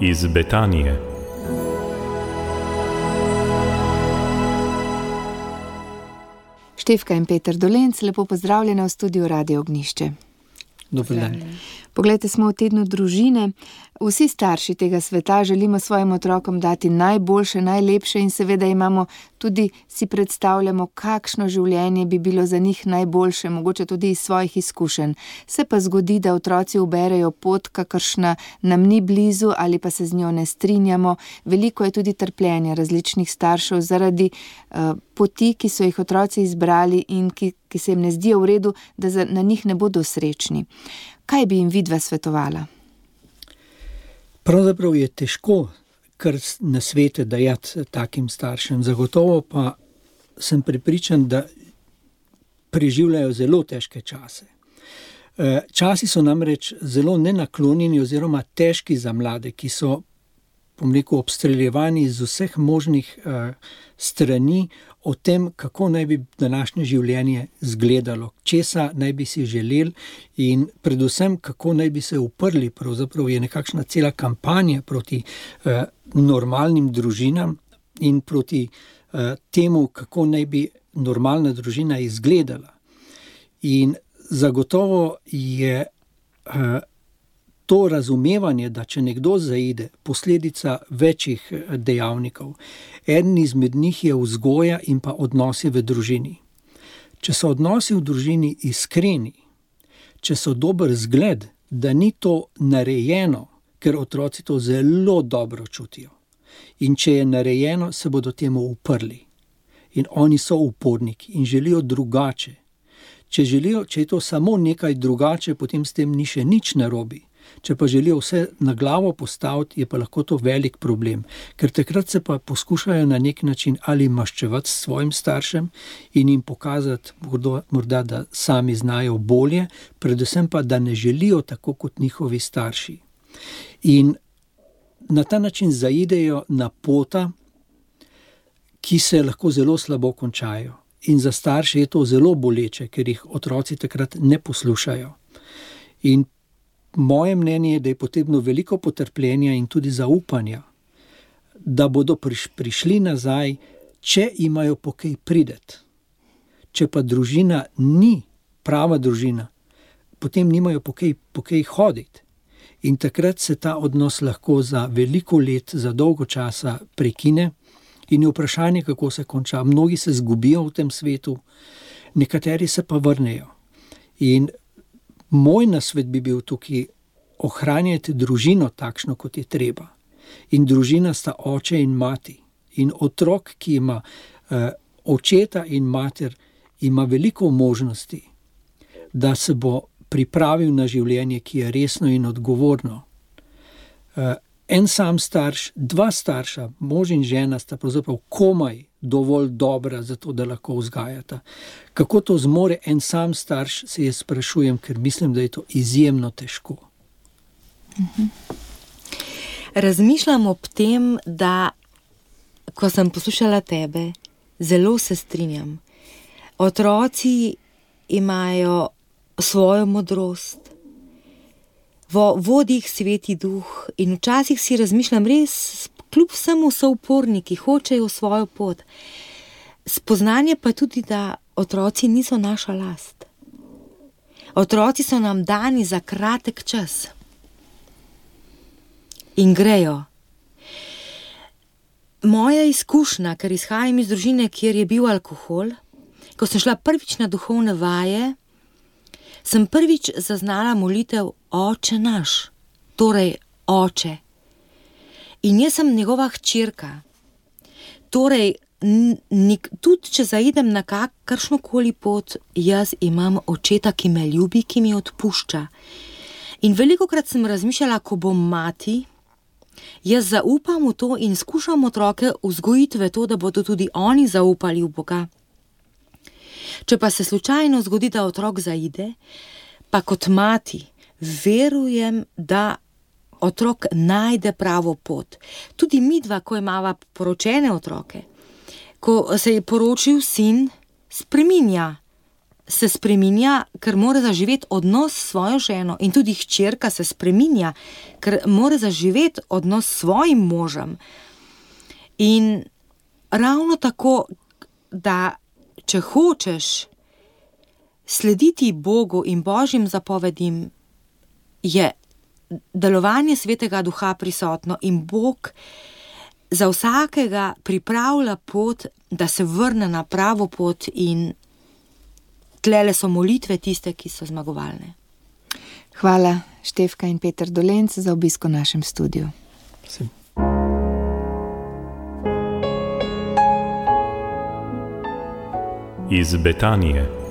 iz Betanije. Štefka in Peter Dolenc, lepo pozdravljena v studiu Radio Ognjišče. Dober dan. Poglejte, smo v tednu družine. Vsi starši tega sveta želimo svojim otrokom dati najboljše, najlepše in seveda imamo tudi, si predstavljamo, kakšno življenje bi bilo za njih najboljše, mogoče tudi iz svojih izkušenj. Se pa zgodi, da otroci uberejo pot, kakršna nam ni blizu ali pa se z njo ne strinjamo. Veliko je tudi trpljenja različnih staršev zaradi poti, ki so jih otroci izbrali in ki se jim ne zdijo v redu, da na njih ne bodo srečni. Kaj bi jim vidva svetovala? Pravzaprav je težko kar nasvete dajati takim staršem. Zagotovo pa sem prepričan, da preživljajo zelo težke čase. Časi so namreč zelo nenaklonjeni oziroma težki za mlade, ki so, obstreljevani iz vseh možnih strani o tem, kako naj bi današnje življenje izgledalo, česa naj bi si želeli in predvsem, kako naj bi se uprli. Pravzaprav je nekakšna cela kampanja proti normalnim družinam in proti temu, kako naj bi normalna družina izgledala. In zagotovo je to razumevanje, da če nekdo zaide, posledica večjih dejavnikov. Eden izmed njih je vzgoja in pa odnosi v družini. Če so odnosi v družini iskreni, če so dober zgled, da ni to narejeno, ker otroci to zelo dobro čutijo. In če je narejeno, se bodo temu uprli. In oni so uporniki in želijo drugače. Če je to samo nekaj drugače, potem s tem ni še nič narobe. Če pa želijo vse na glavo postaviti, je pa lahko to velik problem, ker takrat se pa poskušajo na nek način ali maščevati s svojim staršem in jim pokazati morda, da sami znajo bolje, predvsem pa, da ne želijo tako kot njihovi starši. In na ta način zaidejo na pota, ki se lahko zelo slabo končajo. In za starše je to zelo boleče, ker jih otroci takrat ne poslušajo. In moje mnenje je, da je potrebno veliko potrpljenja in tudi zaupanja, da bodo prišli nazaj, če imajo po kaj prideti. Če pa družina ni prava družina, potem nimajo po kaj hoditi. In takrat se ta odnos lahko za veliko let, za dolgo časa prekine in je vprašanje, kako se konča. Mnogi se zgubijo v tem svetu, nekateri se pa vrnejo. In moj nasvet bi bil tukaj, ohranjajte družino takšno, kot je treba. In družina sta oče in mati. In otrok, ki ima očeta in mater, ima veliko možnosti, da se bo pripravil na življenje, ki je resno in odgovorno. En sam starš, dva starša, mož in žena sta pravzaprav komaj dovolj dobra za to, da lahko vzgajata. Kako to zmore en sam starš, se jaz sprašujem, ker mislim, da je to izjemno težko. Razmišljam ob tem, da ko sem poslušala tebe, zelo se strinjam. Otroci imajo svojo modrost, vodi jih Sveti Duh in včasih si razmišljam, res kljub vsemu so uporniki, hočejo svojo pot. Spoznanje pa tudi, da otroci niso naša last. Otroci so nam dani za kratek čas in grejo. Moja izkušnja, ker izhajam iz družine, kjer je bil alkohol, ko sem šla prvič na duhovne vaje, sem prvič zaznala molitev Oče naš, torej Oče. In jaz sem njegova hčerka. Torej, tudi če zaidem na kakršnokoli pot, jaz imam očeta, ki me ljubi, ki mi odpušča. In velikokrat sem razmišljala, ko bom mati, jaz zaupam v to in skušam otroke vzgojiti v to, da bodo tudi oni zaupali v Boga. Če pa se slučajno zgodi, da otrok zaide, pa kot mati verujem, da otrok najde pravo pot. Tudi midva, ko imava poročene otroke, ko se je poročil sin, spreminja se spreminja, ker mora zaživeti odnos s svojo ženo, in tudi hčerka se spreminja, ker mora zaživeti odnos s svojim možem. In ravno tako, da če hočeš slediti Bogu in Božjim zapovedim, je delovanje Svetega Duha prisotno in Bog za vsakega pripravlja pot, da se vrne na pravo pot, in tlele so molitve tiste, ki so zmagovalne. Hvala, Štefka in Peter Dolenc, za obisk v našem studiu. Iz Betanije.